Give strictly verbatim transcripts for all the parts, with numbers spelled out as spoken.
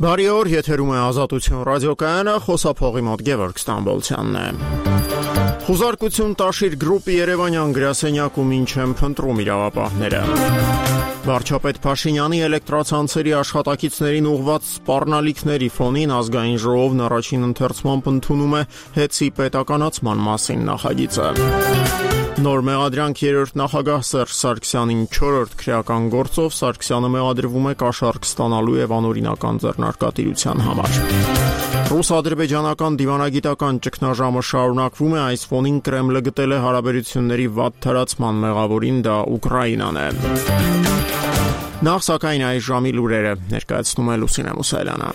Բարի օր, եթերում է Ազատություն ռադիոկայանը, խոսափողի մոտ Գևորգ Ստամբոլցյանն է։ Խուզարկություն տաշիր գրուպի երևանյան գրասենյակում ինչ են փնտրում իրավապահները։ Վարչապետ Փաշինյանի էլեկտրացանցերի աշխատակիցներին ուղղված սպառնալիքների ֆոնին ազգային ժողովն առաջին ընթերցմամբ ընդունում է հեծի պետականացման մասին նախագիծը։ Նոր մեղադրանք երրորդ նախագահ Սերժ Սարգսյանին չորրորդ քրեական գործով Սարգսյանը մեղադրվում է կաշառք ստանալու եւ անօրինական ձեռնարկատիրության համար։ Ռուս-ադրբեջանական դիվանագիտական ճգնաժամը շարունակվում է, այս ֆոնին Կրեմլը գտել է հարաբերությունների վատ թրացման մեղավորին, դա Ուկրաինան է։ Նախ սակայն այս ժամի լուրերը ներկայացնում է Լուսինե Մուսայելյանը։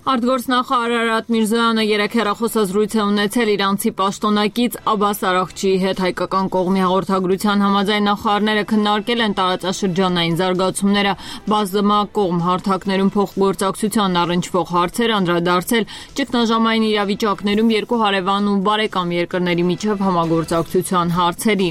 Արտգործնախարար Արարատ Միրզոյանը երեկ հեռախոսազրույց է ունեցել իրանցի պաշտոնակից Աբբաս Արաղչիի հետ հայկական կողմի հաղորդագրության համաձայն նախարարները քննարկել են տարածաշրջանային զարգացումները, բազմակողմ հարթակներում փոխգործակցության առնչվող հարցեր, անդրադարձել ճգնաժամային իրավիճակներում երկու հարևան ու բարեկամ երկրների միջև համագործակցության հարցերի։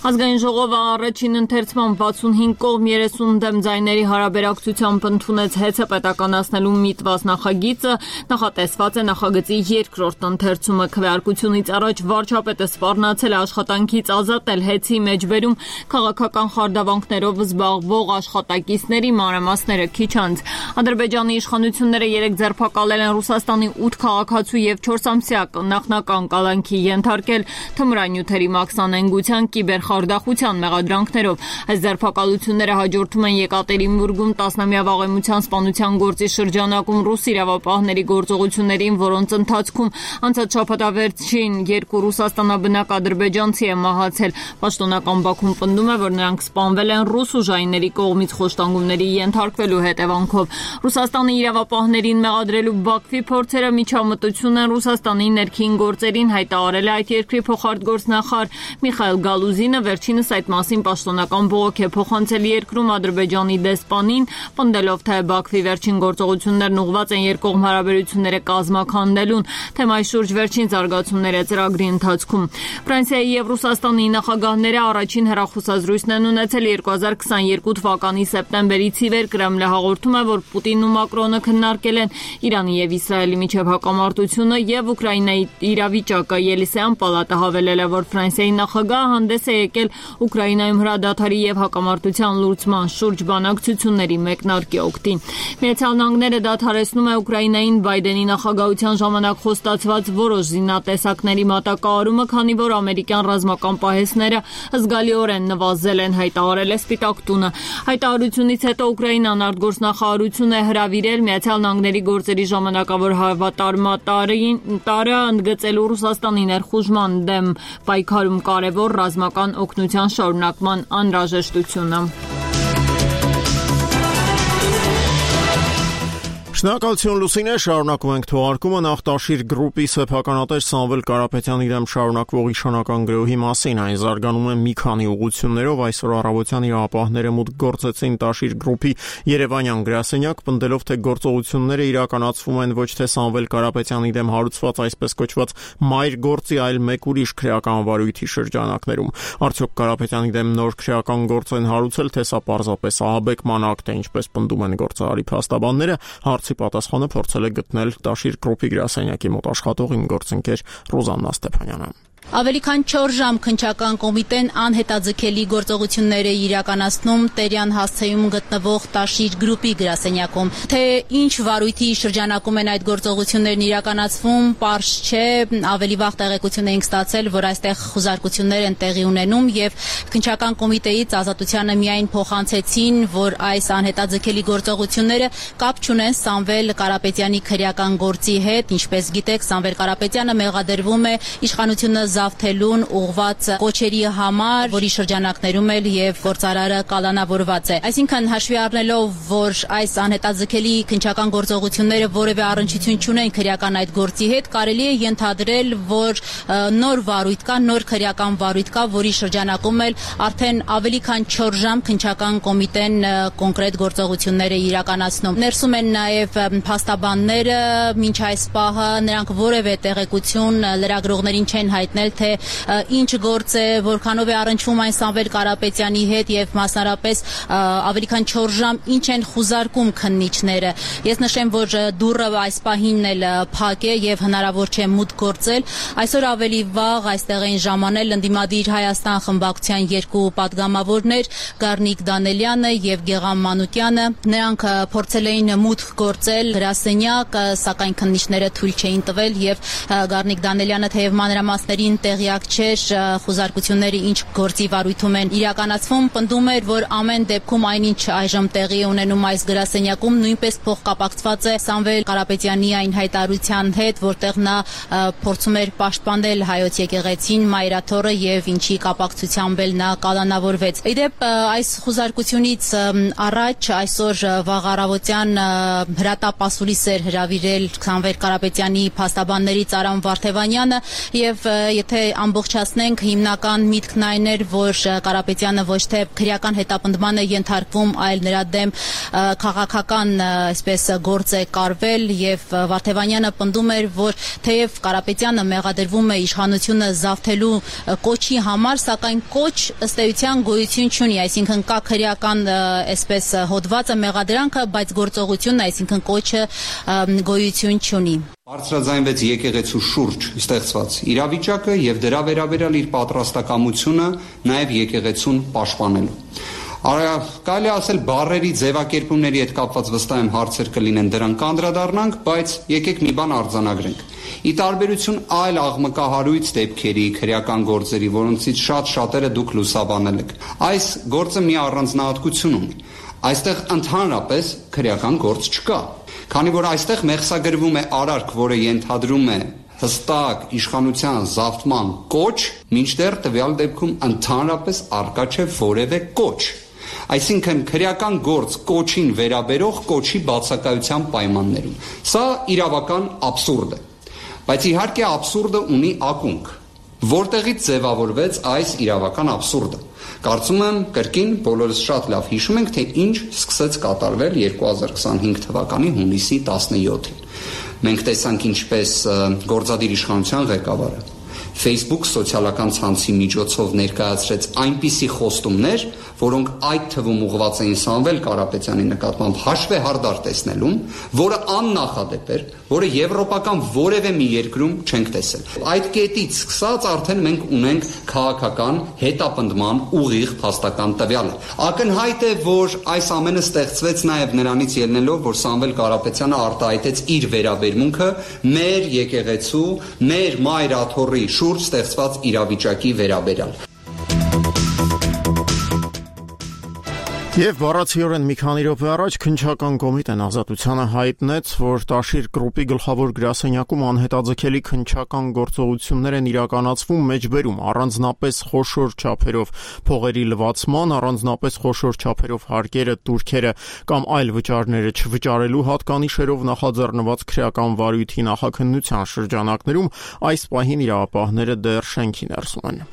Ազգային ժողովը առաջին ընթերցման վաթսունհինգ կողմ երեսուն դեմ ձայների հարաբերակցությամբ ընդունեց հեծը պետականացնելու միտված նախագիծը, նախատեսված է նախագծի երկրորդ ընթերցումը քվեարկությունից առաջ վարչապետը սպառնացել է աշխատանքից ազատել հեծի մեջբերում քաղաքական խարդավանքներով զբաղվող աշխատակիցների մանրամասները քիչ անց։ Ադրբեջանի իշխանությունները երեք ձերբակալել են Ռուսաստանի ութ քաղաքացու եւ չորս ամսյա նախնական կալանքի ենթարկել թմրանյութերի մաքսանենգության կիբերխարդախության մեղադրանքներով։ Այս ձերբակալությունները հաջորդում են Եկատերինբուրգում տասնամյա վաղեմության սպանության գործի շրջանակում ռուս իրավապահների գործողություններին, որոնց ընթացքում անցած շաբաթավերջին երկու ռուսաստանաբնակ ադրբեջանցի է մահացել։ Պաշտոնական Բաքուն պնդում է, որ նրանք սպանվել են ռուս ուժայինների կողմից խոշտանգումների ենթարկվելու հետևանքով։ Ռուսաստանի իրավապահներին մեղադրելու Բաքվի փորձերը միջամտություն են Ռուսաստանի ներքին գործերին, հայտարարել է այդ երկրի փոխարտգործնախարար Միխայիլ Գալուզինը, վերջինս այդ մասին պաշտոնական բողոք է փոխանցել երկրում Ադրբեջանի դեսպանին, պնդելով, թե Բաքվի վերջին գործողություններն ուղղված են երկկողմ հարաբերությունները կազմաքանդելուն, թեմայի շուրջ վերջին զարգացումները ծրագրի ընթացքում։ Ֆրանսիայի եւ Ռուսաստանի նախագահները առաջին հեռախոսազրույցն են ունեցել երկու հազար քսաներկու թվականի սեպտեմբերից ի վեր։ Կրեմլը հաղորդում է, որ Պուտինն ու Մակրոնը քննարկել են Իրանի եւ Իսրայելի միջև հակամարտությունը եւ Ուկրաինայի իրավիճակը։ Ելիսեյան պալատը հավելել է, որ Ֆրանսիայի նախագահը հանդես է եկել Ուկրաինայում հրադադարի եւ հակամարտության լուծման շուրջ բանակցությունների մեկնարկի օգտին։ Միացյալ Նահանգները դադարեցնում է Ուկրաինային Բայդենի նախագահության ժամանակ խոստացված որոշ զինատեսակների մատակարարումը, քանի որ ամերիկյան ռազմական պահեստները զգալիորեն նվազել են, հայտարարել է Սպիտակ տունը։ Հայտարարությունից հետո Ուկրաինան արտգործնախարարություն է հրավիրել Միացյալ Նահանգների գործերի ժամանակավոր հավատարմատարին տարը ընդգծելու Ռուսաստանի ներխուժման դեմ պայքարում կարևոր ռազմական օգնության շարունակման անհրաժեշտությունը։ Շնորհակալություն Լուսինե, շարունակում ենք թողարկումը Նախտաշիր գրուպի սեփականատեր Սամվել Կարապետյանի դեմ շարունակվող իշխանական գրոհի մասին։ Այն զարգանում է մի քանի ուղղություններով։ Այսօր առավոտյան իրավապահները մուտք գործեցին Տաշիր գրուպի երևանյան գրասենյակ, պնդելով, թե գործողությունները իրականացվում են ոչ թե Սամվել Կարապետյանի դեմ հարուցված այսպես կոչված մայր գործի, այլ մեկ ուրիշ քրեական վարույթի շրջանակներում։ Արդյոք Կարապետյանի դեմ նոր քրեական գործ են հարուցել, թե սա պարզապես ահաբեկման ակտ է, ինչպես պնդում են գործարարի փաստաբանները։ Հարցի պատասխանը փորձել է գտնել Տաշիր գրուպի գրասենյակի մոտ աշխատող իմ գործընկեր Ռոզաննա Ստեփանյանը։ Ավելի քան չորս ժամ քննչական կոմիտեն անհետաձգելի գործողություններ է իրականացնում Տերյան հասցեում գտնվող Տաշիր գրուպի գրասենյակում։ Թե ինչ վարույթի շրջանակում են այդ գործողություններն իրականացվում, պարզ չէ, ավելի վաղ տեղեկություն էինք ստացել, որ այստեղ խուզարկություններ են տեղի ունենում եւ քննչական կոմիտեից Ազատությանը միայն փոխանցեցին, որ այս անհետաձգելի գործողությունները կապ չունեն Սամվել Կարապետյանի քրեական գործի հետ։ Ինչպես գիտեք, Սամվել Կարապետյանը մեղադրվում է իշխանությունը զավթելուն ուղղված կոչերի համար, որի շրջանակներում էլ եւ գործարարը կալանավորված է։ Այսինքն հաշվի առնելով, որ այս անհետաձգելի քննչական գործողությունները որևէ առնչություն չունեն քրեական այդ գործի հետ, կարելի է ենթադրել, որ նոր վարույթ կա, նոր քրեական վարույթ կա, որի շրջանակում էլ արդեն ավելի քան չորս ժամ քննչական կոմիտեն կոնկրետ գործողություններ է իրականացնում։ Ներսում են նաեւ փաստաբանները, մինչ այս պահը նրանք որևէ տեղեկություն լրագրողներին չեն հայտնել հասնել, թե ինչ գործ է, որքանով է առնչվում այն Սամվել Կարապետյանի հետ եւ մասնարարպես ավելի քան չորս ժամ ինչ են խուզարկում քննիչները։ Ես նշեմ, որ դուռը այս պահին էլ փակ է եւ հնարավոր չէ մուտք գործել։ Այսօր ավելի վաղ այստեղ էին ժամանել ընդդիմադիր Հայաստան խմբակցության երկու падգամավորներ՝ Գառնիկ Դանելյանը եւ Գեղամ Մանուկյանը։ Նրանք փորձել էին մուտք գործել գրասենյակ, սակայն քննիչները թույլ չէին տվել եւ Գառնիկ Դանելյանը թեև մանրամասներին տեղյակ չէր խուզարկությունները ինչ գործի վարույթում են իրականացվում, պնդում էր, որ ամեն դեպքում այնինչ այժմ տեղի է ունենում այս գրասենյակում նույնպես փոխկապակցված է Սամվել Կարապետյանի այն հայտարարության հետ, որտեղ նա փորձում էր պաշտպանել հայոց եկեղեցին, Մայրաթոռը եւ ինչի կապակցությամբ էլ նա կալանավորվեց։ Իդեպ այս խուզարկությունից առաջ այսօր վաղ առավոտյան հրատապ ասուլիս էր հրավիրել Սամվել Կարապետյանի փաստաբաններից Արամ Վարդևանյանը եւ եթե ամբողջացնենք հիմնական միտքն այն էր, որ Կարապետյանը ոչ թե քրեական հետապնդման է ենթարկվում, այլ նրա դեմ քաղաքական այսպես գործ է կարվել եւ Վարդևանյանը պնդում էր, որ թեև Կարապետյանը մեղադրվում է իշխանությունը զավթելու կոչի համար, սակայն կոչ ըստ էության գոյություն չունի, այսինքն կա քրեական այսպես հոդվածը մեղադրանքը, բայց գործողությունն, այսինքն կոչը գոյություն չունի։ Բարձրաձայնվեց եկեղեցու շուրջ ստեղծված իրավիճակը եւ դրա վերաբերյալ իր պատրաստակամությունը նաեւ եկեղեցուն պաշտպանելու։ Կարելի ասել բառերի ձևակերպումների հետ կապված վստահ եմ հարցեր կլինեն, դրան կանդրադառնանք, բայց եկեք մի բան արձանագրենք։ Ի տարբերություն այլ աղմկահարույց դեպքերի, քրեական գործերի, որոնցից շատ շատերը դուք լուսաբանել եք, այս գործը մի առանձնահատկություն ունի։ Այստեղ ընդհանրապես քրեական գործ չկա, քանի որ այստեղ մեղսագրվում է արարք, որը ենթադրում է հստակ իշխանության զավթման կոչ, մինչդեռ տվյալ դեպքում ընդհանրապես առկա չէ որևէ կոչ։ Այսինքն քրեական գործ կոչին վերաբերող կոչի բացակայության պայմաններում։ Սա իրավական աբսուրդ է։ Բայց իհարկե աբսուրդը ունի ակունք, որտեղից ձևավորվեց այս իրավական աբսուրդը։ Կարծում եմ կրկին բոլորս շատ լավ հիշում ենք, թե ինչ սկսեց կատարվել երկու հազար քսանհինգ թվականի հունիսի տասնյոթին։ Մենք տեսանք ինչպես գործադիր իշխանության ղեկավարը Facebook սոցիալական ցանցի միջոցով ներկայացրեց այնպիսի խոստումներ, որոնք այդ թվում ուղղված էին Սամվել Կարապետյանի նկատմամբ հաշվեհարդար տեսնելուն, որը աննախադեպ էր, որը եվրոպական որևէ մի երկրում չենք տեսել։ Այդ կետից սկսած արդեն մենք ունենք քաղաքական հետապնդման ուղիղ փաստական տվյալը։ Ակնհայտ է, որ այս ամենը ստեղծվեց նաև նրանից ելնելով, որ Սամվել Կարապետյանը արտահայտեց իր վերաբերմունքը մեր եկեղեցու, մեր Մայրաթոռի շուրջ ստեղծված իրավիճակի վերաբերյալ։ Եվ բառացիորեն մի քանի րոպե առաջ քննչական կոմիտեն Ազատությանը հայտնեց, որ Տաշիր գրուպի գլխավոր գրասենյակում անհետաձգելի քննչական գործողություններ են իրականացվում մեջբերում, առանձնապես խոշոր չափերով փողերի լվացման, առանձնապես խոշոր չափերով հարկերը, турքերը կամ այլ վճարները չվճարելու հատկանիշերով նախաձեռնված քրեական վարույթի նախաքննության շրջանակներում այս պահին իրավապահները դեռ շենքի ներսում են։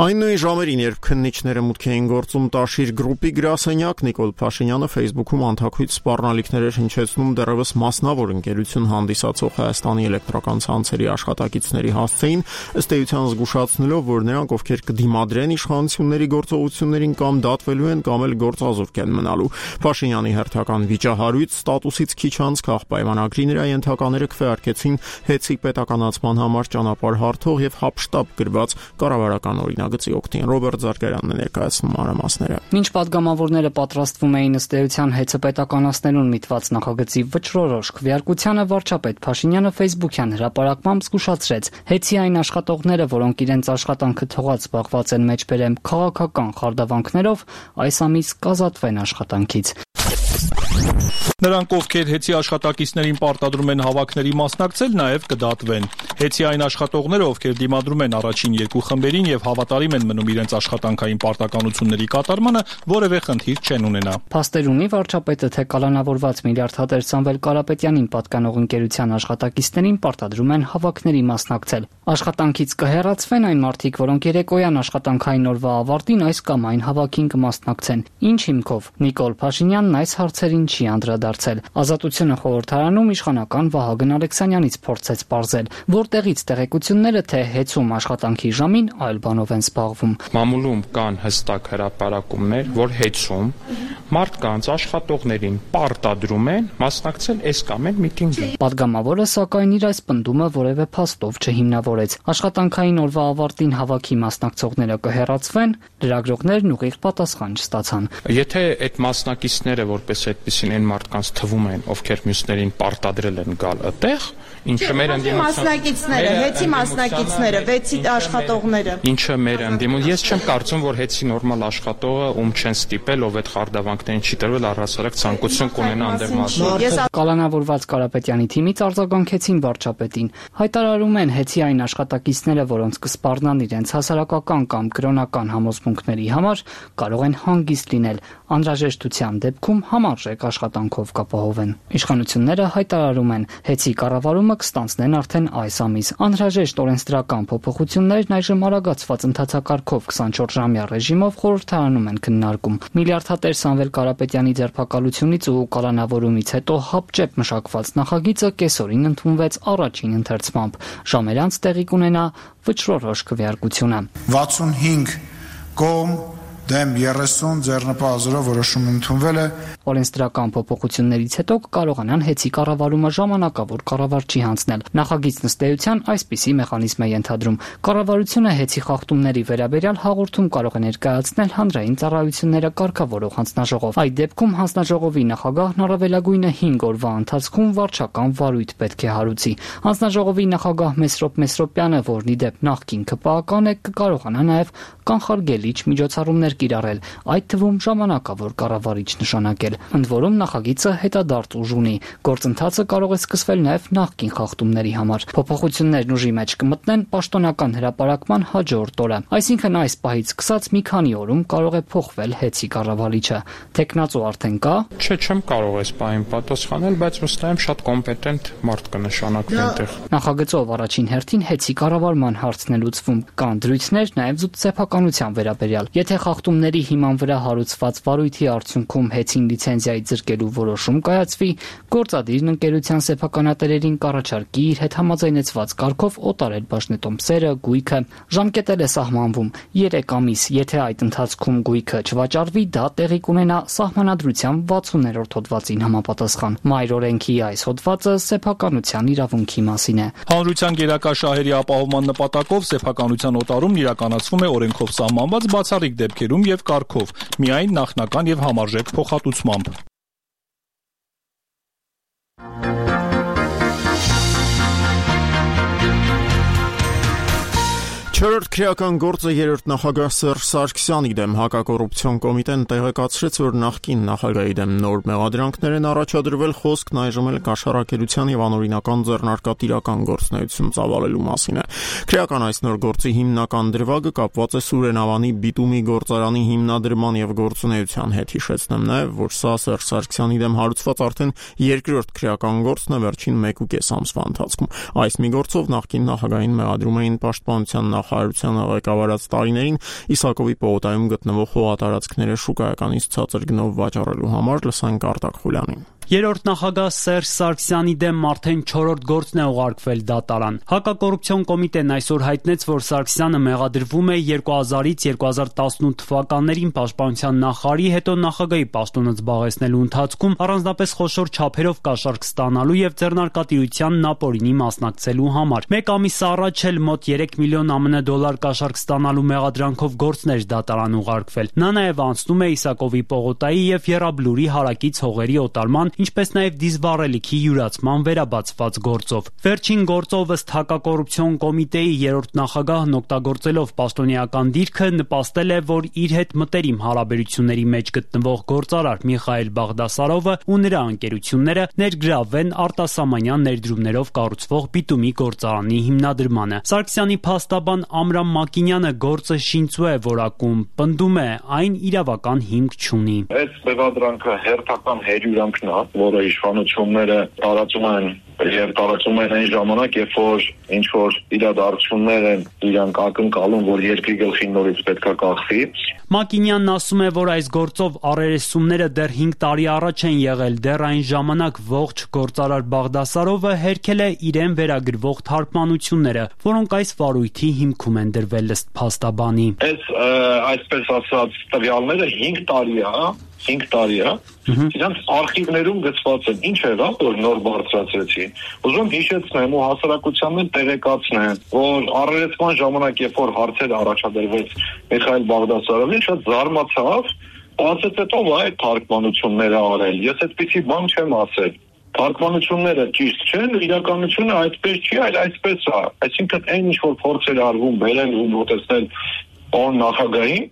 Այն նույն ժամերին, երբ քննիչները մուտք էին գործում Տաշիր գրուպի գրասենյակ, Նիկոլ Փաշինյանը Facebook-ում անթաքույց սպառնալիքներ էր հնչեցնում դեռևս մասնավոր ընկերություն հանդիսացող Հայաստանի էլեկտրական ցանցերի աշխատակիցների հասցեին, ըստ էության զգուշացնելով, որ նրանք, ովքեր կդիմադրեն իշխանությունների գործողություններին կամ դատվելու են, կամ էլ գործազուրկ են մնալու։ Փաշինյանի հերթական վիճահարույց ստատուսից քիչ անց քաղաքպայմանագրի նրա ենթակաները քվեարկեցին հեծի պետականացման համար ճանապարհ հարթող եւ հապշտապ գրված կառավարական օրինակ գծի օգտին Ռոբերտ Զարգարյանն է ներկայացնում մանրամասները։ Մինչ падգամավորները պատրաստվում էին ըստ էության հեծը պետականացնելուն միտված նախագծի վճռորոշ քվեարկությանը, վարչապետ Փաշինյանը Facebook-յան հրապարակմամբ զգուշացրեց. հեծի այն աշխատողները, որոնք իրենց աշխատանքը թողած զբաղված են մեջբերեմ քաղաքական խարդավանքներով, այս ամիս կազատվեն աշխատանքից։ Նրանք, ովքեր հեծի աշխատակիցներին պարտադրում են հավաքների մասնակցել, նաև կդատվեն։ Հեծի այն աշխատողները, ովքեր դիմադրում են առաջին երկու խմբերին եւ հավատարիմ են մնում իրենց աշխատանքային պարտականությունների կատարմանը, որևէ խնդիր չեն ունենա։ Փաստեր ունի վարչապետը, թե կալանավորված միլիարդատեր Սամվել Կարապետյանին պատկանող ընկերության աշխատակիցներին պարտադրում են հավաքների մասնակցել։ Աշխատանքից կհեռացվեն այն մարդիկ, որոնք երեկոյան աշխատանքային օրվա ավարտին այս կամ այն հավաքին կմասնակցեն։ Ինչ հիմքով Նիկոլ Փաշինյանն այս հարցերին չի անդրադարձել։ դարձել։ Ազատությունը խորհրդարանում իշխանական Վահագն Ալեքսանյանից փորձեց պարզել, որտեղից տեղեկությունները թե հեծում աշխատանքի ժամին այլ բանով են զբաղվում։ Մամուլում կան հստակ հրապարակումներ, որ հեծում մարդկանց աշխատողներին պարտադրում են մասնակցել այս կամ այն միտինգի։ Պատգամավորը սակայն իր այս պնդումը որևէ փաստով չհիմնավորեց։ Աշխատանքային օրվա ավարտին հավաքի մասնակցողները կհեռացվեն, լրագրողներն ուղիղ պատասխան չստացան։ Եթե այդ մասնակիցները որպես այդպեսին այն մարդկանց թվում են, ովքեր մյուսներին պարտադրել են գալ այդտեղ, ինչը մեր մասնակիցները, հեծի մասնակիցները, վեցի աշխատողները։ Ինչը մեր ընդդիմում, ես չեմ կարծում, որ հեծի նորմալ աշխատողը ում չեն ստիպել, ով այդ խարդավանքներին չի տրվել, առհասարակ ցանկություն կունենա անդեր մասնակցել։ Կալանավորված Կարապետյանի թիմից արձագանքեցին վարչապետին։ Հայտարարում են հեծի այն աշխատակիցները, որոնց կսպառնան իրենց հասարակական կամ կրոնական համոզմունքների համար, կարող են հանգիստ լինել, անհրաժեշտության դեպքում համարժեք աշխատանքով կապահովեն։ Իշխանությունները հայտարարում են, հեծի կառավարումը կստանձնեն արդեն այս ամիս։ Անհրաժեշտ օրենսդրական փոփոխություններն այժմ արագացված ընթացակարգով քսանչորս-ժամյա ռեժիմով խորհրդարանում են քննարկում։ Միլիարդատեր Սամվել Կարապետյանի ձերբակալությունից ու կալանավորումից հետո հապճեպ մշակված նախագիծը կեսօրին ընդունվեց առաջին ընթերցմամբ։ Ժամեր անց տեղի կունենա վճռորոշ քվեարկությունը։ վաթսունհինգ կողմ դեմ երեսուն ձեռնպահազորով որոշում ընդունվել է։ Օրենսդրական փոփոխություններից հետո կկարողանան հեծի կառավարումը ժամանակավոր կառավարչի հանձնել։ Նախագիծն ըստ էության այսպիսի մեխանիզմ է ենթադրում։ Կառավարությունը հեծի խախտումների վերաբերյալ հաղորդում կարող է ներկայացնել հանրային ծառայությունները կարգավորող հանձնաժողով։ Այդ դեպքում հանձնաժողովի նախագահն առավելագույնը հինգ օրվա ընթացքում վարչական վարույթ պետք է հարուցի։ Հանձնաժողովի նախագահ Մեսրոպ Մեսրոպյանը, որն ի դեպ նախկին ՔՊԱ-ական է, կկարողանա նաև կանխարգելիչ միջոցառումներ կիրառել, այդ թվում ժամանակավոր կառավարիչ նշանակել։ Ընդ որում նախագիծը հետադարձ ուժ ունի։ Գործընթացը կարող է սկսվել նաև նախկին խախտումների համար։ Փոփոխություններն ուժի մեջ կմտնեն պաշտոնական հրապարակման հաջորդ օրը։ Այսինքն այս պահից սկսած մի քանի օրում կարող է փոխվել հեծի կառավարիչը։ Տեխնացու արդեն կա։ Չէ, չեմ կարող այս պահին պատասխանել, բայց վստահ եմ շատ կոմպետենտ մարդ կնշանակվի այնտեղ։ Նախագծով առաջին հերթին հեծի կառավարման հարցն է լուծվում։ Կան դրույթներ նաև զուտսեփականության վերաբերյալ։ Եթե խախտումների հիման վրա հարուցված վարույթի արդյունքում հեծին լիցենզիայի ձրկելու որոշում կայացվի, գործադիրն ընկերության սեփականատերերին կառաջարկի իր հետ համաձայնեցված կարգով օտարել բաժնետոմսերը, գույքը։ Ժամկետել է սահմանվում երեք ամիս, եթե այդ ընթացքում գույքը չվաճառվի, դա տեղի կունենա սահմանադրության վաթսուններորդ հոդվածին համապատասխան։ Մայր օրենքի այս հոդվածը սեփականության իրավունքի մասին է։ Հանրության գերակա շահերի ապահովման նպատակով սեփականության օտարումն իրականացվում է օրենքով սահմանված բացառիկ դեպքերում եւ կարգով, միայն նախնական եւ համարժեք փոխհատուցմամբ։ Չորրորդ քրեական գործը երրորդ նախագահ Սերժ Սարգսյանի դեմ հակակոռուպցիոն կոմիտեն տեղեկացրեց, որ նախկին նախագահի դեմ նոր մեղադրանքներ են առաջադրվել, խոսքն այժմ էլ կաշառակերության եւ անօրինական ձեռնարկատիրական գործունեություն ծավալելու մասին է։ Քրեական այս նոր գործի հիմնական դրվագը կապված է Սուրենավանի բիտումի գործարանի հիմնադրման եւ գործունեության հետ։ Հիշեցնեմ նաեւ, որ սա Սերժ Սարգսյանի դեմ հարուցված արդեն երկրորդ քրեական գործն է վերջին մեկ ու կես ամսվա ընթացքում։ Այս մի գործով նախկին նախագահին մեղադրում էին պաշտպանության նախարարությանը ղեկավարած տարիներին Իսակովի պողոտայում գտնվող հողատարածքները շուկայականից ցածր գնով վաճառելու համար։ Լսենք Արտակ Խուլյանին։ Երրորդ նախագահ Սերժ Սարգսյանի դեմ արդեն չորրորդ գործն է ուղարկվել դատարան։ Հակակոռուպցիոն կոմիտեն այսօր հայտնեց, որ Սարգսյանը մեղադրվում է երկու հազարից երկու հազար տասնութ թվականներին պաշտպանության նախարարի, հետո նախագահի պաշտոնը զբաղեցնելու ընթացքում առանձնապես խոշոր չափերով կաշառք ստանալու եւ ձեռնարկատիրության նապորինի մասնակցելու համար։ Մեկ ամիս առաջ էլ մոտ երեք միլիոն ԱՄՆ դոլար կաշառք ստանալու մեղադրանքով գործներ դատարան ուղարկվել։ Նա նաեւ անցնում է Իսակովի պողոտայի եւ Եռաբլուրի հարակից հողերի օտարման, ինչպես նաև դիզվառելիքի յուրացման վերաբացված գործով։ Վերջին գործով ըստ հակակոռուպցիոն կոմիտեի երրորդ նախագահն օգտագործելով պաշտոնեական դիրքը նպաստել է, որ իր հետ մտերիմ հարաբերությունների մեջ գտնվող գործարար Միխայել Բաղդասարովը ու նրա ընկերությունները ներգրավվեն արտասահմանյան ներդրումներով կառուցվող բիտումի գործարանի հիմնադրմանը։ Սարգսյանի փաստաբան Ամրամ Մակինյանը գործը շինծու է որակում, պնդում է, այն իրավական հիմք չունի։ Այս բևադրանքը հերթական հերյուրանքն է, որը իշխանությունները տարածում են եւ տարածում են այն ժամանակ, երբ որ ինչ որ իրադարձություններ են իրանք ակնկալում, որ երկրի գլխին նորից պետքա կախվի։ Մակինյանն ասում է, որ այս գործով առերեսումները դեռ հինգ տարի առաջ են եղել, դեռ այն ժամանակ ողջ գործարար Բաղդասարովը հերքել է իրեն վերագրվող թարգմանությունները, որոնք այս վարույթի հիմքում են դրվել ըստ փաստաբանի։ Այս այսպես ասած տվյալները հինգ տարի է, հինգ տարի է, իրանք արխիվներում գծված են, ինչ եղավ, որ նոր բարձրացրեցի։ Ուզում եմ հիշեցնեմ ու հասարակությանն տեղեկացնեմ, որ առերեսման ժամանակ, երբ որ հարցեր առաջադրվեց Միխայել Բաղդասարովին, շատ զարմացավ, ասեց հետո այդ թարգմանությունները արել։ Ես այդպիսի բան չեմ ասել։ Թարգմանությունները ճիշտ չեն, իրականությունը այդպես չի, այլ այսպես է։ Այսինքն այն ինչ որ փորձեր արվում բերել ու մոտեցնել պարոն նախագահին,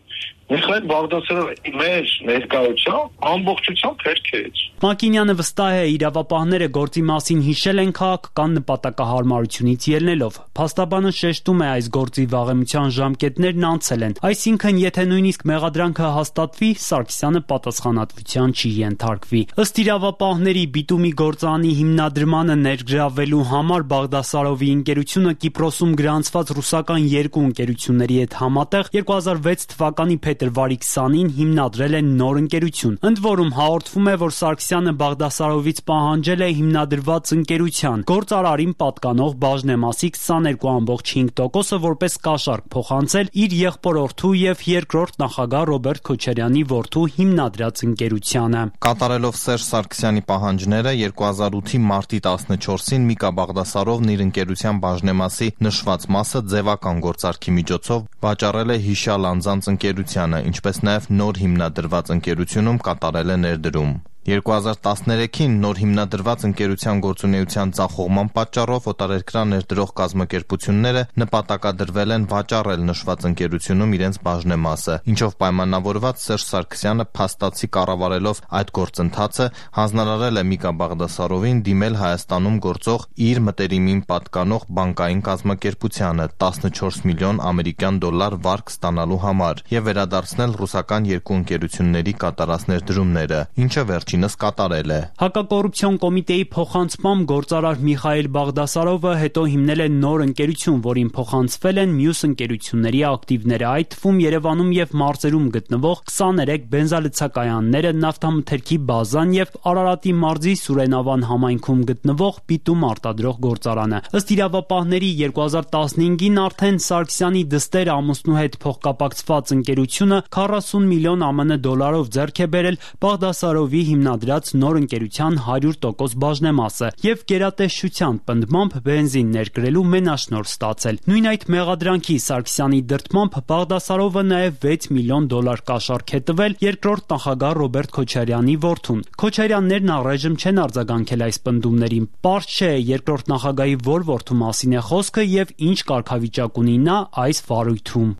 Միխայել Բաղդասարովը մեր ներկայությամբ ամբողջությամբ հերքեց։ Մակինյանը վստահ է, իրավապահները գործի մասին հիշել են քաղաքական նպատակահարմարությունից ելնելով։ Փաստաբանը շեշտում է, այս գործի վաղեմության ժամկետներն անցել են, այսինքն եթե նույնիսկ մեղադրանքը հաստատվի, Սարգսյանը պատասխանատվության չի ենթարկվի։ Ըստ իրավապահների, Բիտումի գործարանի հիմնադրմանը ներգրավվելու համար Բաղդասարովի ընկերությունը Կիպրոսում գրանցված ռուսական երկու ընկերությունների հետ համատեղ երկու հազար վեց թվականի փետրվարի քսանին հիմնադրել են նոր ընկերություն։ Ընդ որում հաղորդվում է, որ Սարգսյանը Բաղդասարովից պահանջել է հիմնադրված ընկերության գործարարին պատկանող բաժնեմասի քսաներկու կόμμα հինգ տոկոսը որպես կաշառք փոխանցել իր եղբորորդու եւ երկրորդ նախագահ Ռոբերտ Քոչարյանի որդու հիմնադրած ընկերությանը։ Կատարելով Սերժ Սարգսյանի պահանջները երկու հազար ութի մարտի տասնչորսին Միկա Բաղդասարովն իր ընկերության բաժնեմասի նշված մասը ձևական գործարքի միջոցով վաճառել է հիշյալ անձանց ընկերությանը, ինչպես նաև նոր հիմնադրված ընկերությունում կատարել է ներդրում։ երկու հազար տասներեքին նոր հիմնադրված ընկերության գործունեության ձախողման պատճառով օտարերկրյա ներդրող կազմակերպությունները նպատակադրվել են վաճառել նշված ընկերությունում իրենց բաժնեմասը, ինչով պայմանավորված Սերժ Սարգսյանը փաստացի կառավարելով այդ գործընթացը հանձնարարել է Միկա Բաղդասարովին դիմել Հայաստանում գործող իր մտերիմին պատկանող բանկային կազմակերպությանը տասնչորս միլիոն ամերիկյան դոլար վարկ ստանալու համար եւ վերադարձնել ռուսական երկու ընկերությունների կատարած ներդրումները, ինչը վերջին կատարել է։ Հակակոռուպցիոն կոմիտեի փոխանցմամբ գործարար Միխայել Բաղդասարովը հետո հիմնել է նոր ընկերություն, որին փոխանցվել են մյուս ընկերությունների ակտիվները, այդ թվում Երևանում եւ մարզերում գտնվող քսաներեք բենզալցակայանները, նավթամթերքի բազան եւ Արարատի մարզի Սուրենավան համայնքում գտնվող Բիտում արտադրող գործարանը։ Ըստ իրավապահների երկու հազար տասնհինգին արդեն Սարգսյանի դստեր ամուսնու հետ փոխկապակցված ընկերությունը քառասուն միլիոն ԱՄՆ դոլարով ձեռք է բերել Բաղդասարովի հիմնադրած նոր ընկերության հարյուր տոկոս բաժնեմասը եւ գերատեսչության պնդմամբ բենզին ներկրելու մենաշնորհ ստացել։ Նույն այդ մեղադրանքի Սարգսյանի դրդմամբ Բաղդասարովը նաեւ վեց միլիոն դոլար կաշառք է տվել երկրորդ նախագահ Ռոբերտ Քոչարյանի որդուն։ Քոչարյաններն առայժմ չեն արձագանքել այս պնդումներին։ Պարզ չէ երկրորդ նախագահի որ որդու մասին է խոսքը եւ ինչ կարգավիճակ ունի նա այս վարույթում։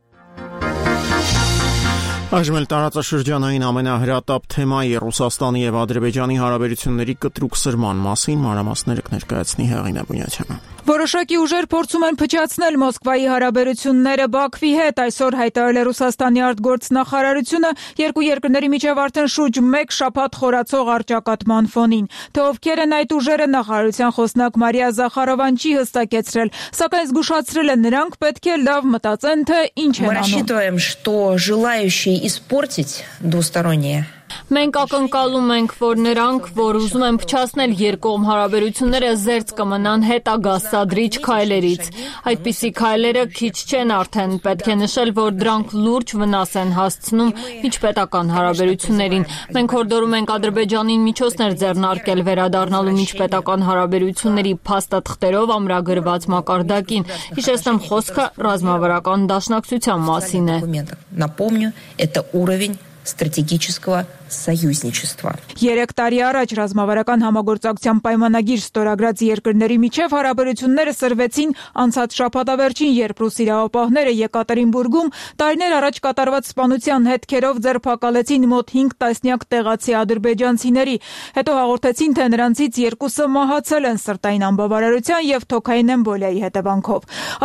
Այժմ էլ տարածաշրջանային ամենահրատապ թեմայի Ռուսաստանի եւ Ադրբեջանի հարաբերությունների կտրուկ սրման մասին մանրամասները կներկայացնի Հեղինե Բունյացյանը։ Որոշակի ուժեր փորձում են փչացնել Մոսկվայի հարաբերությունները Բաքվի հետ, այսօր հայտարարել է Ռուսաստանի արտգործնախարարությունը երկու երկրների միջև արդեն շուրջ մեկ շաբաթ խորացող առճակատման ֆոնին։ Թե ովքեր են այդ ուժերը, նախարարության խոսնակ Մարիա Զախարովան չի հստակեցրել, սակայն զգուշացրել է նրանք պետք է լավ մտածեն, թե ինչ են անում։ Мы рассчитываем, что желающие испортить двусторонние Մենք ակնկալում ենք, որ նրանք, որ ուզում են փչացնել երկկողմ հարաբերությունները, զերծ կմնան հետագա սադրիչ քայլերից։ Այդպիսի քայլերը քիչ չեն արդեն, պետք է նշել, որ դրանք լուրջ վնաս են հասցնում միջպետական հարաբերություններին։ Մենք հորդորում ենք Ադրբեջանին միջոցներ ձեռնարկել վերադառնալու միջպետական հարաբերությունների փաստաթղթերով ամրագրված մակարդակին։ Հիշեցնեմ, խոսքը ռազմավարական դաշնակցության մասին է։ Напомню, это уровень стратегического союзничества. Երեք տարի առաջ ռազմավարական համագործակցության պայմանագիր ստորագրած երկրների միջև հարաբերությունները սրվեցին անցած շաբաթավերջին, երբ ռուս իրավապահները Եկատերինբուրգում տարիներ առաջ կատարված սպանության հետքերով ձերբակալեցին մոտ հինգ տասնյակ տեղացի ադրբեջանցիների։ Հետո հաղորդեցին, թե նրանցից երկուսը մահացել են սրտային անբավարարության եւ թոքային էմբոլիայի հետևանքով։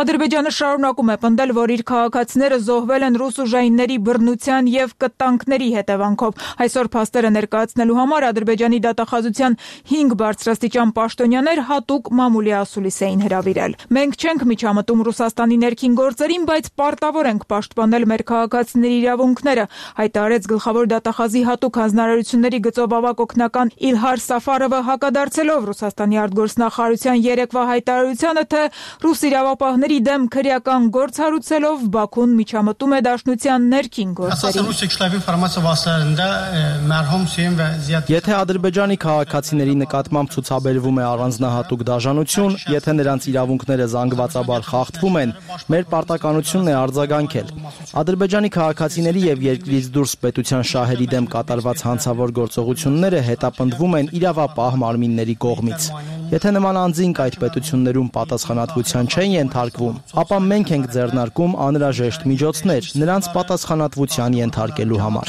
Ադրբեջանը շարունակում է պնդել, որ իր քաղաքացիները զոհվել են ռուս ուժայինների բռնության եւ կտանքների հետևանքով։ Այս Այսօր փաստերը ներկայացնելու համար Ադրբեջանի դատախազության հինգ բարձրաստիճան պաշտոնյաներ հատուկ մամուլի ասուլիս էին հրավիրել։ Մենք չենք միջամտում Ռուսաստանի ներքին գործերին, բայց պարտավոր ենք պաշտպանել մեր քաղաքացիների իրավունքները, հայտարարեց գլխավոր դատախազի հատուկ հանձնարարությունների գծով ավագ օգնական Իլհար Սաֆարովը, հակադարձելով Ռուսաստանի արտգործնախարարության երեկվա հայտարարությանը, թե ռուս իրավապահների դեմ քրեական գործ հարուցելով Բաքուն միջամտում է դաշնության ներքին գործերին։ Եթե Ադրբեջանի քաղաքացիների նկատմամբ ցուցաբերվում է առանձնահատուկ դաժանություն, եթե նրանց իրավունքները զանգվածաբար խախտվում են, մեր պարտականությունն է արձագանքել։ Ադրբեջանի քաղաքացիների եւ երկրից դուրս պետության շահերի դեմ կատարված հանցավոր գործողությունները հետապնդվում են իրավապահ մարմինների կողմից։ Եթե նման անձինք այդ պետություններում պատասխանատվության չեն ենթարկվում, ապա մենք ենք ձեռնարկում անհրաժեշտ միջոցներ նրանց պատասխանատվության ենթարկելու համար։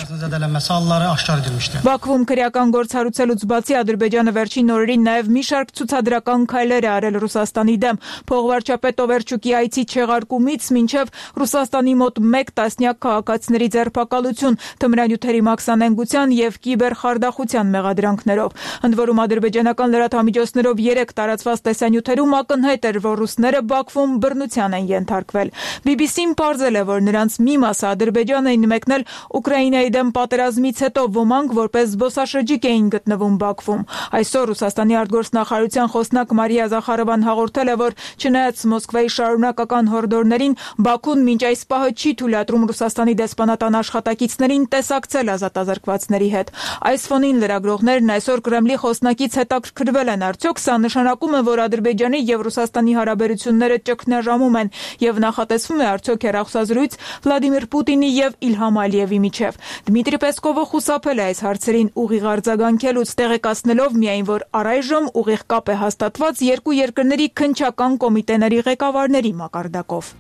Բաքվում քրեական գործ հարուցելուց բացի Ադրբեջանը վերջին օրերին նաև մի շարք ցուցադրական քայլեր է արել Ռուսաստանի դեմ։ Փողվարչապետ Օվերչուկի այցի չեղարկումից մինչև Ռուսաստանի մոտ մեկ տասնյակ քաղաքացիների ձերբակալություն, թմրանյութերի մաքսանենգության եւ կիբերխարդախության մեղադրանքներով։ Ընդ որում ադրբեջանական լրատվամիջոցներով երեք տարածված տեսանյութերում ակնհայտ էր, որ ռուսները Բաքվում բռնության են ենթարկվել։ բի բի սին պարզել է, որ նրանց մի մասը Ադրբեջան էին մեկնել Ուկրաինայի դեմ պատերազմից հետո, ոմանք որպես զբոսաշրջիկ էին գտնվում Բաքվում։ Այսօր Ռուսաստանի արտգործնախարարության խոսնակ Մարիա Զախարովան հաղորդել է, որ չնայած Մոսկվայի շարունակական հորդորներին, Բաքուն մինչ այս պահը չի թույլատրում Ռուսաստանի դեսպանատան աշխատակիցներին տեսակցել ազատազրկվածների հետ։ Այս ֆոնին լրագրողներն այսօր Կրեմլի խոսնակից հետաքրքրվել են, արդյոք սա նշանակում է, որ Ադրբեջանի եւ Ռուսաստանի հարաբերությունները ճգնաժամում են եւ նախատեսվում է արդյոք հեռախոսազրույց Վլադիմիր Պուտինի եւ Իլհամ Ալիևի միջեւ։ Դմիտրի Պեսկովը խուսափել է այս հարցերին ուղիղ արձագանքելուց, տեղեկացնելով միայն, որ առայժմ ուղիղ կապ է հաստատված երկու երկրների քննչական կոմիտեների ղեկավարների մակարդակով։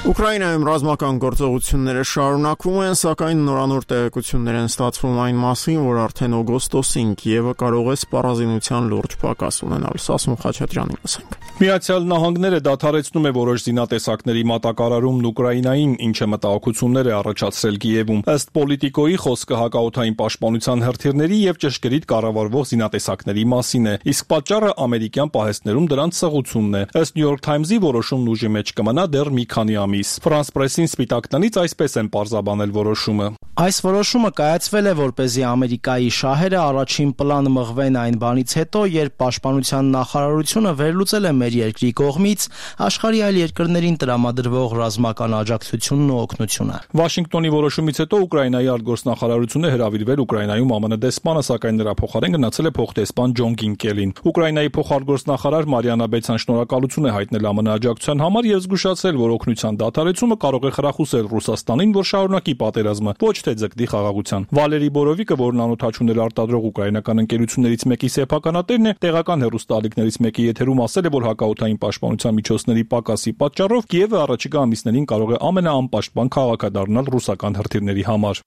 Ուկրաինայում ռազմական գործողությունները շարունակվում են, սակայն նորանոր տեղեկություններ են ստացվում այն մասին, որ արդեն օգոստոսին Կիևը կարող է սպառազինության լուրջ պակաս ունենալ։ Սասուն Խաչատրյանին լսենք։ Միացյալ Նահանգները դադարեցնում է որոշ զինատեսակների մատակարարումն Ուկրաինային, ինչը մտահոգություններ է առաջացրել Կիևում։ Ըստ Պոլիտիկոյի խոսքը հակաօդային պաշտպանության հրթիռների եւ ճշգրիտ կառավարվող զինատեսակների մասին է, իսկ պատճառը ամերիկյան պահեստներում դրանց սղությունն է։ Ըստ New York Times-ի որոշումն ուժի մեջ կմնա դեռ մի քանի ամիս։ France Press-ին Սպիտակ տնից այսպես են պարզաբանել որոշումը։ Այս որոշումը կայացվել է, որպեսզի Ամերիկայի շահերը առաջին պլան մղվեն այն բանից հետո, երբ Պաշտպանության նախարարությունը վերլուծել է մեր երկրի կողմից աշխարհի այլ երկրներին տրամադրվող ռազմական աջակցությունն ու օգնությունը։ Վաշինգտոնի որոշումից հետո Ուկրաինայի արտգործնախարարությունը հրավիրվել Ուկրաինայում ԱՄՆ դեսպանը, սակայն նրա փոխարեն գնացել է փոխդեսպան Ջոն Կինկելին։ Ուկրաինայի փոխարտգործնախարար Մարիանա Բեցան շնորհակալություն է հայտնել ԱՄՆ աջակցության համար եւ զգուշացել, որ օգնության դադարեցումը կարող է խրախուսել Ռուսաստանին, որ շարունակի պատերազմը, ոչ թե ձգտի խաղաղության։ Վալերի Բորովիկը, որն անօթաչուներ արտադրող ուկրաինական ընկերություններից մեկի սեփականատերն է, տեղական հեռուստաալիքներից մեկի եթերում ասել է, որ հակաօդային պաշտպանության միջոցների պակասի պատճառով Կիևը առաջիկա ամիսներին կարող է ամենաանպաշտպան քաղաքը դառնալ ռուսական հրթիռների համար։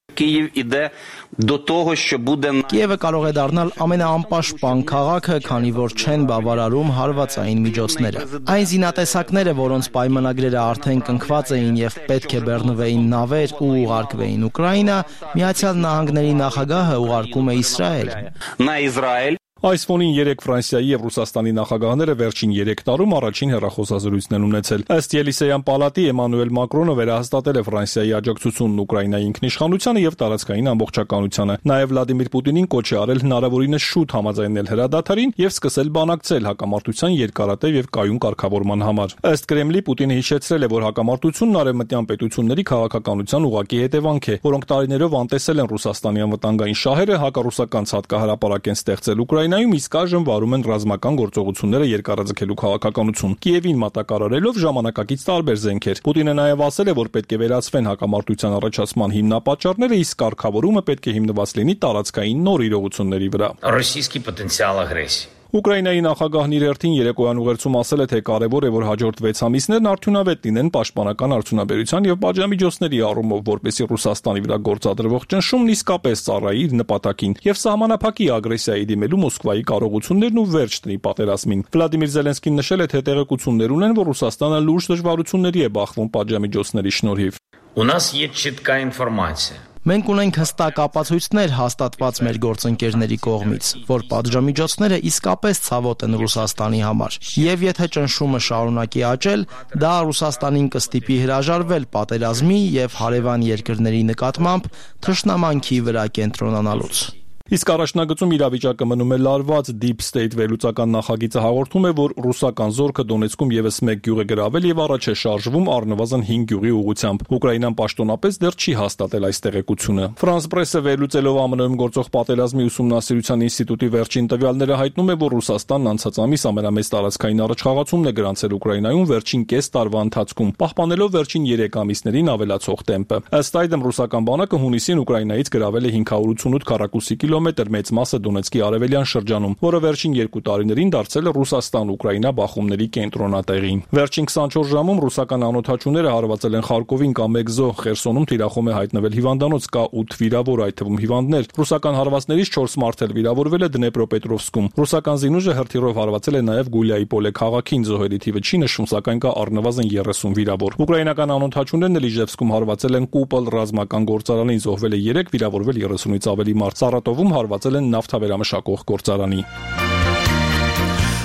Կիևը կարող է դառնալ ամենաանպաշտպան քաղաքը, քանի որ չեն բավարարում հարվածային միջոցները։ Այն զինատեսակները, որոնց պայմանագրերը արդեն կնքված էին եւ պետք է բեռնվեին նավեր ու ուղարկվեին Ուկրաինա, Միացյալ Նահանգների նախագահը ուղարկում է Իսրայել։ Այս ֆոնին երեք Ֆրանսիայի եւ Ռուսաստանի նախագահները վերջին երեք տարում առաջին հեռախոսազրույցն են ունեցել։ Ըստ Ելիսեյան պալատի Էմանուել Մակրոնը վերահաստատել է Ֆրանսիայի աջակցությունն Ուկրաինայի ինքնիշխանությանը եւ տարածքային ամբողջականությանը։ Նաեւ Վլադիմիր Պուտինին կոչ է արել հնարավորինս շուտ համաձայնել հրադադարին եւ սկսել բանակցել հակամարտության երկարատև եւ կայուն կարգավորման համար։ Ըստ Կրեմլի Պուտինը հիշեցրել է, որ հակամարտությունն արևմտյան պետությունների քաղաքականության ուղղակի հետևանք է, որոնք տարիներով անտեսել են Ռուսաստանի անվտանգային շահերը, հակառուսական ցածկահրապարակ են ստեղծել Ուկրաինա Նայում իսկ այժմ վարում են ռազմական գործողությունները երկարաձգելու քաղաքականություն։ Կիևին մատակարարելով ժամանակակից տարբեր զենքեր։ Պուտինը նաև ասել է, որ պետք է վերացվեն հակամարտության առաջացման հիմնապատճառները, իսկ կարգավորումը պետք է հիմնված լինի տարածքային նոր իրողությունների վրա։ Ռոսійський потенціал агресії. Ուկրաինայի նախագահն իր հերթին երեկոյան ուղերձում ասել է, թե կարևոր է, որ հաջորդ վեց ամիսներն արդյունավետ լինեն պաշտպանական արդյունաբերության եւ պատժամիջոցների առումով, որպեսզի Ռուսաստանի վրա գործադրվող ճնշումն իսկապես ծառայի իր նպատակին եւ սահմանափակի ագրեսիայի դիմելու Մոսկվայի կարողություններն ու վերջ տնի պատերազմին։ Վլադիմիր Զելենսկին նշել է, թե տեղեկություններ ունեն, որ Ռուսաստանը լուրջ դժվարությունների է բախվում պատժամիջոցների շնորհիվ։ У нас є чітка інформація. Մենք ունենք հստակ ապացույցներ հաստատված մեր գործընկերների կողմից, որ պատժամիջոցները իսկապես ցավոտ են Ռուսաստանի համար։ Եվ եթե ճնշումը շարունակի աճել, դա Ռուսաստանին կստիպի հրաժարվել պատերազմի եւ հարևան երկրների նկատմամբ թշնամանքի վրա կենտրոնանալուց։ Իսկ առաջնագծում իրավիճակը մնում է լարված։ Deep State վերլուծական նախագիծը հաղորդում է, որ ռուսական զորքը Դոնեցկում եւս մեկ գյուղ է գրավել եւ առաջ է շարժվում առնվազն հինգ գյուղի ուղղությամբ։ Ուկրաինան պաշտոնապես դեռ չի հաստատել այս տեղեկությունը։ France Press-ը վերլուծելով ԱՄՆ-ում գործող պատերազմի ուսումնասիրության ինստիտուտի վերջին տվյալները հայտնում է, որ Ռուսաստանն անցած ամիս ամենամեծ տարածքային առաջխաղացումն է գրանցել Ուկրաինայում վերջին կես տարվա ընթացքում, պահպանելով վերջին երեք ամիսներին ավելացող տեմպը։ Ըստ այդմ ռուսական բանակը հունիսին Ուկրաինայից գրավել է հինգ հարյուր ութսունութ քառակուսի կիլոմետր մեծ մասը Դոնեցկի արևելյան շրջանում, որը վերջին երկու տարիներին դարձել է Ռուսաստան-Ուկրաինա բախումների կենտրոնատեղին։ Վերջին քսանչորս ժամում ռուսական անօդաչուները հարվածել են Խարկովին կամ Մեգզո, Խերսոնում թիրախում է հայտնվել հիվանդանոց, կա ութ վիրավոր, այդ թվում հիվանդներ։ Ռուսական հարվածներից չորս մարդ էլ վիրավորվել է Դնեպրոպետրովսկում։ Ռուսական զինուժը հրթիռով հարվածել է նաև Գուլիայի-Պոլե քաղաքին, զոհերի թիվը չի նշվում, սակայն կա առնվազն երեսուն վիրավոր։ Ուկրաինական անօդաչուներն էլ Իժևսկում հարվածել են Կուպլ ռազմական գործարանին, զոհվել է երեք, վիրավորվել երեսունից ավելի մարդ։ Սարատովում հարվածել են նավթավերամշակող գործարանի։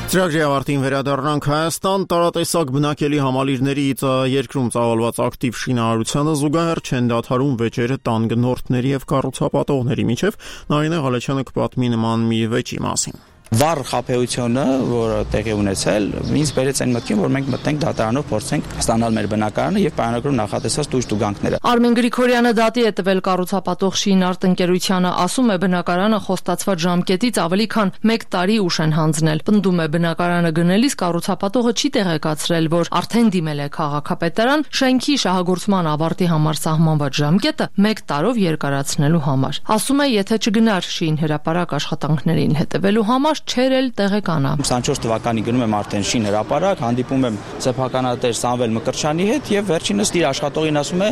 Ծրագրի ավարտին վերադառնանք Հայաստան։ Տարատեսակ բնակելի համալիրներից երկրում ծավալված ակտիվ շինարարությանը զուգահեռ չեն դադարում վեճերը տան գնորդների եւ կառուցապատողների միջև։ Նարինե Ղալեչյանը կպատմի նման մի վեճի մասին։ Վառ խաբեությունը, որը տեղի ունեցել, ինձ բերեց այն մտքին, որ մենք մտնենք դատարանով փորձենք ստանալ մեր բնակարանը եւ պայմանագրում նախատեսած տուժ-տուգանքները։ Արմեն Գրիգորյանը դատի է տվել կառուցապատող Շինարտ ընկերությանը, ասում է բնակարանը խոստացված ժամկետից ավելի քան մեկ տարի ուշ են հանձնել։ Պնդում է բնակարանը գնելիս կառուցապատողը չի տեղեկացրել, որ արդեն դիմել է քաղաքապետարան շենքի շահագործման ավարտի համար սահմանված ժամկետը մեկ տարով երկարացնելու համար։ Ասում է, եթե չգնար շին հրապարակ աշխատանքներին հետևելու համար չեր էլ տեղեկանա։ քսանչորս թվականի գնում եմ արդեն շին հրապարակ, հանդիպում եմ սեփականատեր Սամվել Մկրտչյանի հետ եւ վերջինս իր աշխատողին ասում է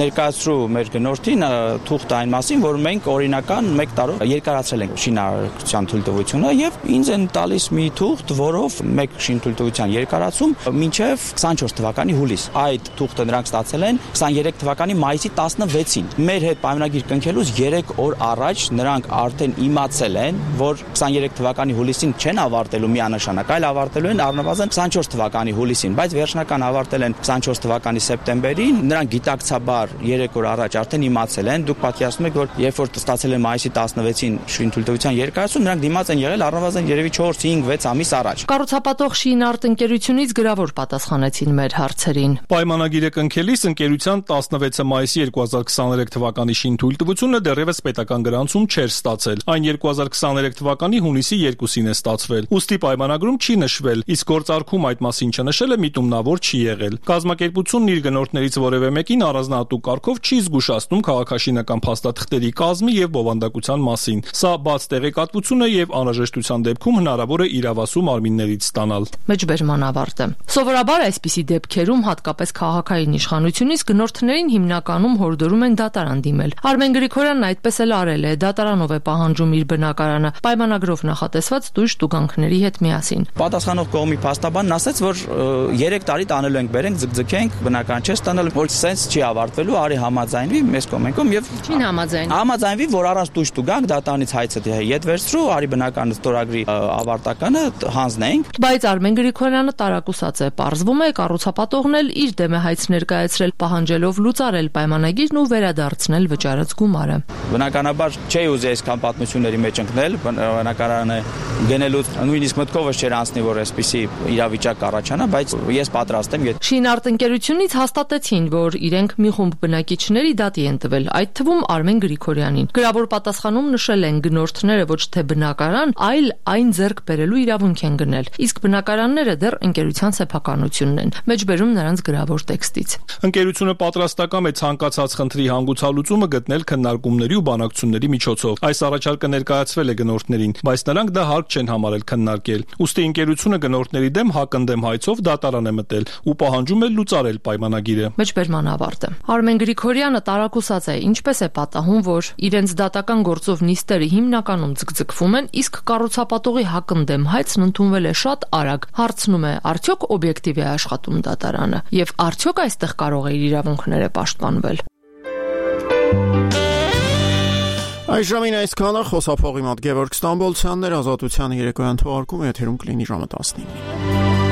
ներկայացրու մեր գնորդին թուղթ այն մասին, որ մենք օրինական մեկ տարով երկարացրել ենք շինարարության թույլտվությունը եւ ինձ են տալիս մի թուղթ, որով մեկ շին թույլտվության երկարացում մինչեւ քսանչորս թվականի հուլիս։ Այդ թուղթը նրանք ստացել են քսաներեք թվականի մայիսի տասնվեցին։ Մեր հետ պայմանագիր կնքելուց երեք օր առաջ նրանք արդեն իմացել են, որ քսաներեք թվականի հուլիսին չեն ավարտելու միանշանակ, այլ ավարտելու են առնվազն քսանչորս թվականի հուլիսին, բայց վերջնական ավարտել են քսանչորս թվականի սեպտեմբերին։ Նրանք գիտակցաբար երեք օր առաջ արդեն իմացել են։ Դուք պատկերացնում եք, որ երբ որ ստացել են մայիսի տասնվեցին շինթույլտվության երկարացում, նրանք դիմաց են եղել առնվազն երևի չորս հինգ վեց ամիս առաջ։ Կառուցապատող Շինարտ ընկերությունից գրավոր պատասխանեցին մեր հարցերին։ Պայմանագիրը կնքելիս ընկերության տասնվեցը մայիսի երկու հազար քսաներեք թվականի շինթույլտվությունը դեռևս պետական գրանցում չէր ստացել։ Այն երկու հազար քսաներեք թվականի հունիսի երկուսին է ստացվել։ Ուստի պայմանագրում չի նշվել, իսկ գործարքում այդ մասին չնշելը միտումնավոր չի եղել։ Կազմակերպությունն իր գնորդներից որևէ մեկին առանձնահատուկ կարգով չի զգուշացնում քաղաքաշինական փաստաթղթերի կազմի եւ բովանդակության մասին։ Սա բաց տեղեկատվություն է եւ անհրաժեշտության դեպքում հնարավոր է իրավասու մարմիններից ստանալ։ Մեջբերման ավարտը։ Սովորաբար այսպիսի դեպքերում հատկապես քաղաքային իշխանությունից գնորդներին հիմնականում հորդորում են դատարան դիմել։ Արմեն Գրիգորյանն այդպես էլ արել է, դատարանով է պահանջում իր բնակարանը պայմանագրով նախատեսված տույժ-տուգանքների հետ միասին։ Պատասխանող կողմի փաստաբանն ասաց, որ երեք տարի տանելու ենք, բերենք, ձգձգենք, բնական չէ ստանալ, որ սենց չի ավարտվելու, արի համաձայնվի մեզ կողմենքով եւ չին համաձայնվի։ Համաձայնվի, որ առանց տույժ-տուգանք դատարանից հայցը ետ վերցրու, արի բնական ստորագրի ավարտականը հանձնենք։ Բայց Արմեն Գրիգորյանը տարակուսած է, պարզվում է կառուցապատողն էլ իր դեմ է հայց ներկայացրել, պահանջելով լուծարել պայմանագիրն ու վերադարձնել վճարած գումարը։ Բնականաբար չի ուզի այսքան պատմությունների մեջ ընկնել, բնակարանը գնելուց նույնիսկ մտքովս չէր անցնի, որ այսպիսի իրավիճակ կառաջանա, բայց ես պատրաստ եմ։ Շինարտ ընկերությունից հաստատեցին, որ իրենք մի խումբ բնակիչների դատի են տվել, այդ թվում Արմեն Գրիգորյանին։ Գրավոր պատասխանում նշել են գնորդները ոչ թե բնակարան, այլ այն ձեռք բերելու իրավունք են գնել, իսկ բնակարանները դեռ ընկերության սեփականությունն են։ Մեջբերում նրանց գրավոր տեքստից։ Ընկերությունը պատրաստական է ցանկացած խնդրի հանգուցալուծումը գտնել քննարկումների ու բանակցությունների միջոցով։ Այս առաջարկը ներկայացվել է գնորդներին, բայց նրանք դա հարկ չեն համարել քննարկել։ Ուստի ընկերությունը գնորդների դեմ հակընդդեմ հայցով դատարան է մտել ու պահանջում է լուծարել պայմանագիրը։ Մեջբերման ավարտը։ Արմեն Գրիգորյանը տարակուսած է, ինչպես է պատահում, որ իրենց դատական գործով նիստերը հիմնականում ձգձգվում են, իսկ կառուցապատողի հակընդդեմ հայցն ընդունվել է շատ արագ։ Հարցնում է, արդյոք օբյեկտիվ է աշխատում դատարանը, եւ արդյոք այստեղ կարող է իր իրավունքները պաշտպանվել։ Այս ժամին այսքանը խոսափողի մոտ Գևորգ Ստամբոլցյանն էր, Ազատության երեկոյան թողարկումը եթերում կլինի ժամը տասնինը։